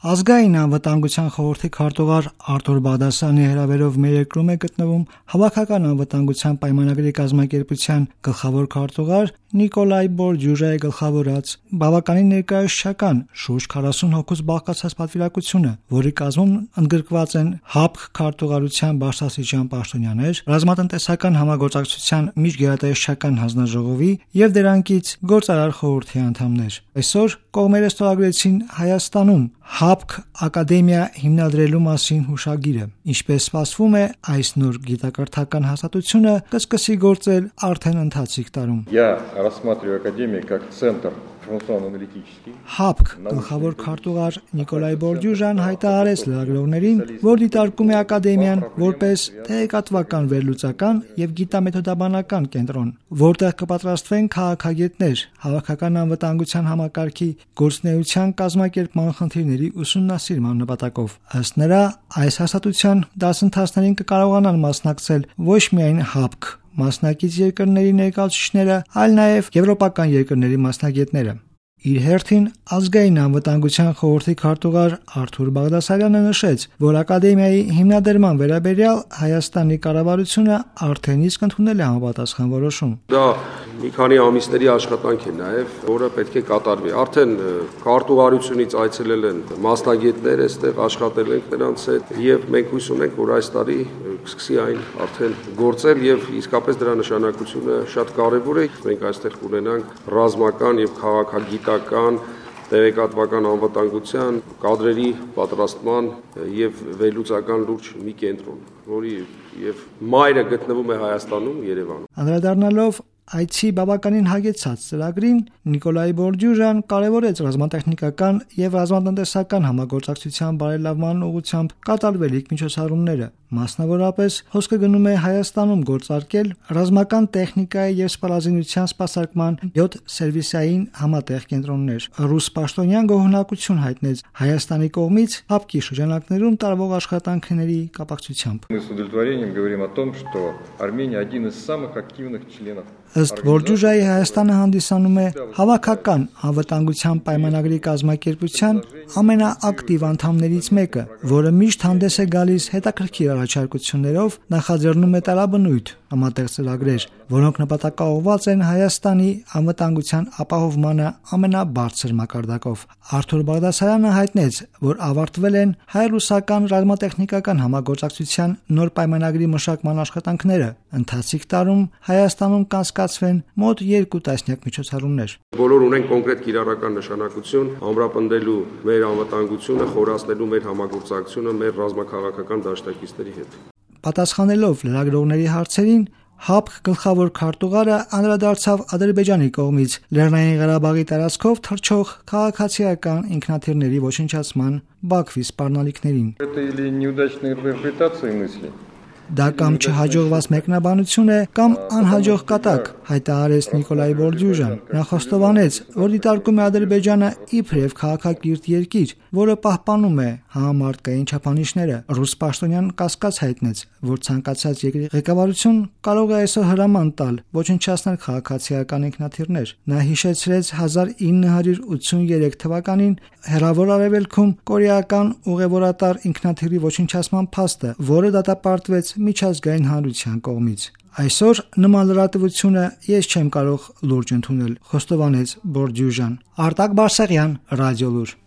Ազգային անվտանգության խորհրդի քարտուղար Արթուր Բաղդասարյանի հրավերով մեր երկրում է գտնվում Հավաքական անվտանգության պայմանագրի կազմակերպության գլխավոր քարտուղար Նիկոլայ Բորդյուժայի գլխավորած բավականին ներկայացուցչական շուրջ 40 հոգուց բաղկացած պատվիրակությունը, որի կազմում ընդգրկված են ՀԱՊԿ քարտուղարության բարձրաստիճան պաշտոնյաներ, ռազմատնտեսական համագործակցության միջգերատեսչական հանձնաժողովի եւ դրանքից գործարար խորհրդի անդամներ։ Այսօր կողմերը ստորագրեցին Հայաստանում ՀԱՊԿ ակադեմիա հիմնադրելու մասին հուշագիրը։ Ինչպես սպասվում է, այս նոր գիտակրթական հաստատությունը կսկսի գործել արդեն ընթացիկ տարում։ Рассматриваю академию как центр информационно-аналитический. ՀԱՊԿ գլխավոր քարտուղար Նիկոլայ Բորդյուժան հայտարարեց լրագրողներին, որ դիտարկում է ակադեմիան որպես տեղեկատվական վերլուծական եւ գիտամեթոդաբանական կենտրոն, որտեղ կպատրաստվեն քաղաքագետներ հավաքական անվտանգության համակարգի գործունեության կազմակերպման խնդիրների ուսումնասիրման նպատակով։ Ըստ նրա, այս հաստատության դասընթացներին կկարողանան մասնակցել ոչ միայն ՀԱՊԿ մասնակից երկրների ներկայացուցիչները, այլ նաև եվրոպական երկրների մասնագետները։ Իր հերթին ազգային անվտանգության խորհրդի քարտուղար Արթուր Բաղդասարյանը նշեց, որ ակադեմիայի հիմնադրման վերաբերյալ Հայաստանի կառավարությունը արդեն իսկ ընդունել է համապատասխան որոշում։ Դա մի քանի ամիսների աշխատանք է նաև, որը պետք է կատարվի։ Արդեն քարտուղարությունից այցելել են մասնագետներ, այստեղ աշխատել ենք նրանց հետ եւ մենք հույս ունենք, որ այս տարի սկսի այն արդեն գործել եւ իսկապես դրա նշանակությունը շատ կարեւոր է։ Մենք այստեղ կունենանք ռազմական եւ քաղաքագիտական տեղեկատվական անվտանգության կադրերի պատրաստման եւ վերլուծական լուրջ մի կենտրոն, որի եւ մայրը գտնվում է Հայաստանում, Երևանում։ Անդրադառնալով այցի բավականին հագեցած ծրագրին, Նիկոլայ Բորդյուժան կարևորեց ռազմատեխնիկական եւ ռազմատնտեսական համագործակցության բարելավման ուղղությամբ կատարվելիք միջոցառումները։ Մասնավորապես հոսքը գնում է Հայաստանում գործարկել ռազմական տեխնիկայի եւ սպառազինության սպասարկման 7 սերվիսային համատեղ կենտրոններ։ Ռուս պաշտոնյան գոհունակություն հայտնեց Հայաստանի կողմից ՀԱՊԿ-ի շրջանակներում տարվող աշխատանքների կապակցությամբ։ Мы с удовлетворением говорим о том, что Армения один из самых активных членов. Ըստ Բորդյուժայի Հայաստանը հանդիսանում է հավաքական անվտանգության պայմանագրի կազմակերպության ամենաակտիվ անդամներից մեկը, որը միշտ հանդես է գալիս հետաքրքիր առաջարկություններով, նախաձեռնում է տարաբնույթ համատեղ ծրագրեր, որոնք նպատակաուղղված են Հայաստանի անվտանգության ապահովմանը ամենաբարձր մակարդակով։ Արթուր Բաղդասարյանը հայտնեց, որ ավարտվել են հայ-ռուսական ռազմատեխնիկական համագործակցության նոր պայմանագրի մշակման աշխատանքները։ Ընթացիկ տարում Հայաստանում կանցկացվեն մոտ 2 տասնյակ միջոցառումներ։ Բոլոր ունեն կոնկրետ կիրառական նշանակություն ամրապնդելու մեր անվտանգությունը, խորացնելու մեր համագործակցությունը մեր ռազմաքաղաքական դաշնակիցների հետ։ Պատասխանելով լրագրողների հարցերին, ՀԱՊԿ գլխավոր քարտուղարը անդրադարձավ Ադրբեջանի կողմից Լեռնային Ղարաբաղի տարածքով թռչող քաղաքացիական ինքնաթիռների ոչնչացման Բաքվի սպառնալիքներին։ Это или неудачная интерпретация мысли? Դա կամ չհաջողված մեկնաբանություն է, կամ անհաջող կատակ, հայտարարեց Նիկոլայ Բորդյուժան։ Նա խոստովանեց, որ դիտարկում է Ադրբեջանը իբրև քաղաքակիրթ երկիր, որը պահպանում է համամարտկային չափանիշները։ Ռուս պաշտոնյան կասկած հայտնեց, որ ցանկացած երկրի ղեկավարություն կարող է այսօր հրաման տալ ոչնչացնել քաղաքացիական ինքնաթիռներ։ Նա հիշեցրեց 1983 թվականին Հեռավոր Արևելքում կորեական ուղևորատար ինքնաթիռի ոչնչացման փաստը, որը դատապարտվեց միջազգային հանրության կողմից։ Այսօր նման լրատվությունը ես չեմ կարող լուրջ ընդունել, խոստովանեց Բորդյուժան։ Արտակ Բարսեղյան, Ռադիոլուր։